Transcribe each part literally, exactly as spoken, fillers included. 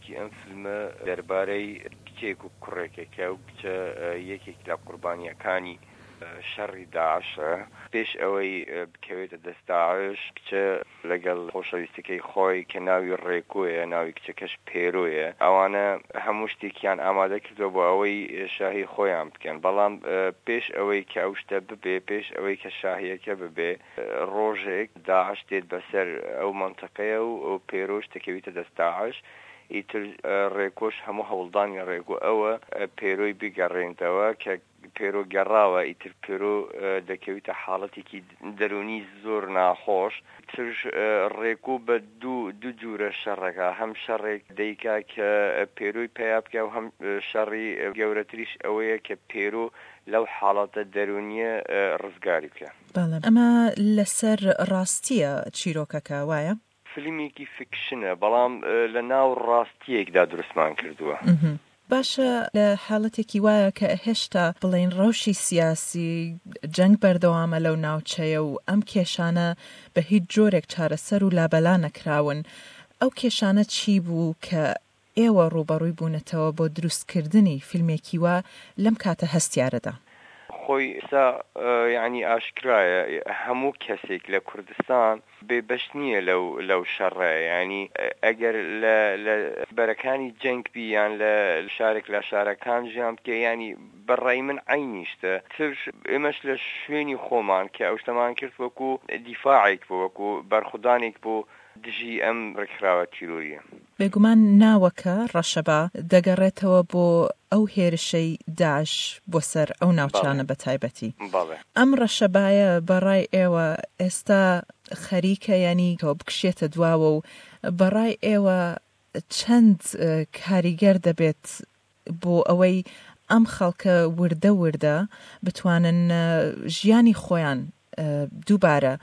چیرۆکی ئەم فیلمە دەربارەی کچێک و کوڕێکە کە ئەو کچە یەکێک لە قوربانیەکانی شەڕی داعشە. پێش ئەوەی بکەوێتە دەست داعش، کچە لەگەڵ خۆشەویستەکەی خۆی کە ناوی ڕێکۆیە، ناوی کچەکەش پێرۆیە، ئەوانە هەموو شتێکیان ئامادە کردووە بۆ ئەوەی شاهی خۆیان بکەن. بەڵام پێش ئەوەی کە ئەو شتە ببێ، پێش ئەوەی کە شاهیەکە ببێ، ڕۆژێک داعش دێت بەسەر ئەو مەنتەقەیە و پێرۆش دەکەویتە دەست داعش. ئیتر ڕێکۆش هەموو هەوڵدانی ڕێکۆ ئەوە پێرۆی بگەڕێنتەوە، کە پێرۆ گەڕاوە ئیتر پێرۆ دەکەویتە حاڵەتێکی دەرونی زۆر ناخۆش. ترش ڕێکۆ بە دوو دوو جورە شەڕەکە، هەم شەڕێک دەیکا کە پێرۆی پەیا بکە و هەم شەڕی گەورەتریش ئەوەیە کە پێرۆ لەو حاڵەتە دەرونیە ڕزگاری بکە. بەڵێ، ئەمە لەسەر ڕاستیە چیرۆکەکە وایە؟ فیلمێکی فیکشنە، بەڵام لە ناو ڕاستیەکدا دروستمان کردووە. باشە، لە حاڵەتێکی وایە کە هێشتا بڵێن ڕەوشی سیاسی جەنگ بەردەوامە لەو ناوچەیە و ئەم کێشانە بە هیچ جۆرێک چارەسەر و لابەلا نەکراون، ئەو کێشانە چی بوو کە ئێوە ڕووبەڕووی بوونەتەوە بۆ دروستکردنی فیلمێکی وا لەم کاتە هەستیارەدا؟ خۆی ئێستا یعنی ئاشکرایە هەموو کەسێک لە کوردستان بێبەش نییە لەو لەو شەڕە. یعنی ئەگەر لە لە بەرەکانی جەنگ بی یان لە شارێک لە شارەکان ژیان بکە، ینی بەڕای من عینیشتە. ترش ئێمەش لە شوێنی خۆمان کە ئەو شتەمان کرد وەکو دیفاعێک بوو، وەکو بەرخودانێک بوو دژی ئەم ڕێکخراوە تیرۆریە. بێگومان ناوەکە ڕەشەبا دەگەڕێتەوە بۆ ئەو هێرشەی داعش بۆ سەر ئەو ناوچانە بە تایبەتی. ئەم ڕەشەبایە بەڕای ئێوە ئێستا خەریکە ینی بکشێتە دواوە و بەڕای ئێوە چەند کاریگەر دەبێت بۆ ئەوەی ئەم خەڵکە وردە وردە بتوانن ژیانی خۆیان دووبارە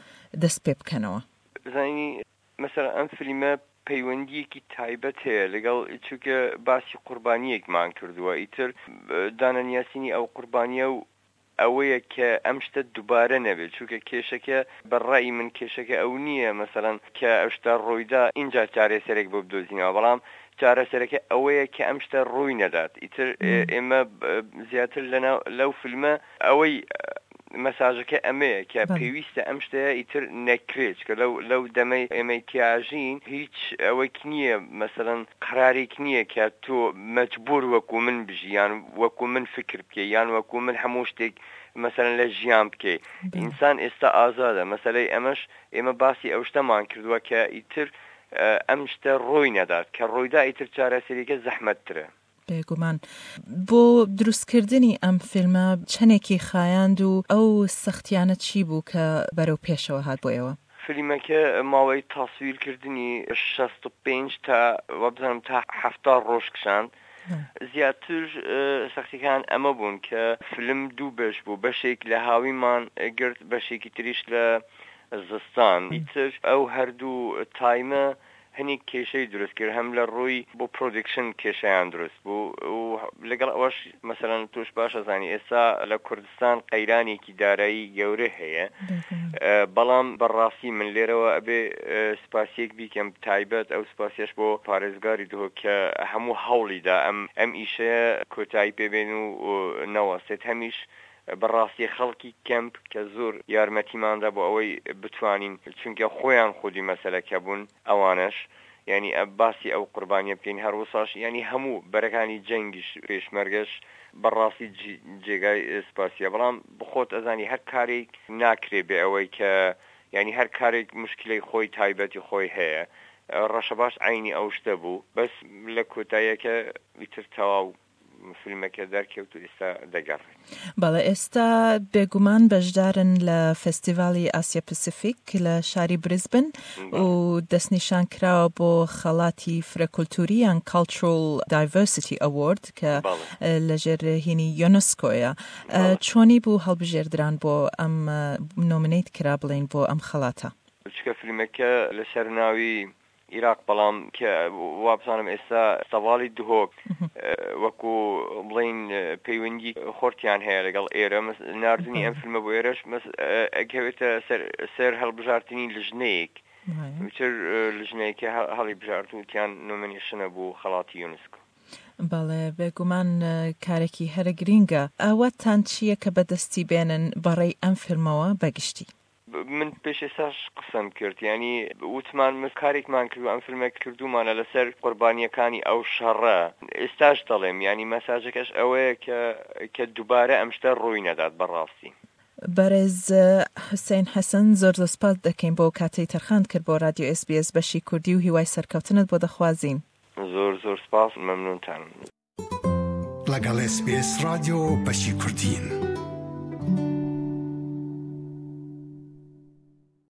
دەست پێ بکەنەوە؟ زانی مەسەلەن ئەم فیلمە پەیوەندیەکی تایبەت هەیە لەگەڵ، چونکە باسی قوربانیەکمان کردووە، ئیتر دانەنیاسینی ئەو قوربانیە و ئەوەیە کە ئەم شتە دووبارە نەبێت. چونکە کێشەکە بەڕای من کێشەکە ئەو نییە مەسەلەن کە ئەو شتە ڕوویدا اینجا چارەسەرێک بۆ بدۆزینەوە، بەڵام چارەسەرەکە ئەوەیە کە ئەم شتە ڕووی نەدات. ئیتر ئێمە زیاتر لەناو لەو فیلمە ئەوەی مەساژەکە ئەمەیە کە پێویستە ئەم شتەیە ئیتر نەکرێت، کە لەو لەو دەمەی ئێمەی تیاژین هیچ ئەوەیک نییە، مەسەلەن قرارێک نییە کە تۆ مەجبور وەکو من بژی یان وەکو من فکر بکەی یان وەکو من هەموو شتێک مەسەلەن لە ژیان بکەی. ئینسان ئێستا ئازادە. مەسەلەی ئەمەش ئێمە باسی ئەو شتەمان کردووە کە ئیتر ئەم شتە ڕووی نەدات، کە ڕوویدا ئیتر چارەسەریەکە زەحمەتترە. بێگومان. بۆ دروستکردنی ئەم فیلمە چەندێکی خایاند و ئەو سەختیانە چی بوو کە بەرەو پێشەوە هات بۆ ئێوە؟ فیلمەکە ماوەی تاسویرکردنی شەست و پێنج تا وابزانم تا حەفتا ڕۆژ کشاند. زیاتر سەختیەکان ئەمە بوون کە فیلم دوو بەش بوو، بەشێک لە هاویمان گرت، بەشێکی تریش لە زستان. ئیتر ئەو هەردوو تایمە هەنێک کێشەی دروست کرد، هەم لە ڕووی بۆ پرۆدکشن کێشەیان دروست بوو و لەگەڵ ئەوەش مەسەلەن تۆش باشە زانی ئێستا لە کوردستان قەیرانێکی دارایی گەورە هەیە. بەڵام بەڕاستی من لێرەوە ئەبێ سپاسیەک بیکەم، تایبەت ئەو سپاسیەش بۆ پارێزگاری دهۆک کە هەموو هەوڵیدا ئەم ئەم ئیشەیە کۆتایی پێبێن و نەوەستێت. هەمیش بەڕاستی خەڵکی کەمپ کە زۆر یارمەتیماندا بۆ ئەوەی بتوانین، چونکە خۆیان خودی مەسەلەکە بوون ئەوانش، یعنی باسی ئەو قوربانیە بکەین. هەروەساش یعنی هەموو بەرەکانی جەنگیش پێشمەرگەش بەڕاستی جێگای سپاسیە. بەڵام بخۆت ئەزانی هەر کارێک ناکرێ بێ ئەوەی کە یعنی هەر کارێک مشکلەی خۆی تایبەتی خۆی هەیە. ڕەشەباش عینی ئەو شتە بوو، بەس لە کۆتاییەکە ئیتر تەواو فیلمەکە دەرکەوت و ئێستا دەگەڕێت. بەڵێ، ئێستا بێگومان بەشدارن لە فێستیڤالی ئاسیا پسیفیک لە شاری بریزبن و دەستنیشان کراوە بۆ خەڵاتی فرەکولتوری یان Cultural Diversity Award کە لەژێر هینی یۆنسکۆیە. چۆنی بوو هەڵبژێردران بۆ ئەم نۆمینەیت کرا بڵین بۆ ئەم خەڵاتە؟ چکە فیلمەکە لەسەر ناوی عێراق، بەڵام کە وابزانم ئێستا سەواڵی دهۆک وەکو بڵین پەیوەندی خۆرتیان هەیە لەگەڵ ئێرە، ناردنی ئەم فیلمە بۆ ئێرەش ئەکەوێتە سەر هەڵبژارتنی لژنەیەک وتر لژنەیەکی هەڵی بژارد وتیان nomination ە بۆ خەڵاتی یونسکۆ. بەڵێ، بێگومان کارێکی هەرە گرینگە. ئاواتتان چییە کە بەدەستی بێنن بەڕێی ئەم فیلمەوە بەگشتی؟ من پێش ئێستاش قسەم کرد، یانی وتمان من کارێکمان کردو ئەم فیلمە کردومانە لەسەر قوربانیەکانی ئەو شەڕە، ئێستاش دەڵێم یانی مەساجەکەش ئەوەیە کە کە دووبارە ئەم شتە ڕووی نەدات بەڕاستی. بەڕێز حوسێن حەسەن، زۆر زۆر سپاست دەکەین بۆ کاتەی تەرخانت کرد بۆ رادیۆ ئێس بی ئێس بەشی کوردی و هیوای سەرکەوتنت بۆ دەخوازین. زۆر زۆر سپاس، مەمنونتانم. لەگەڵ ئێس بی ئێس رادیۆ بەشی کوردین.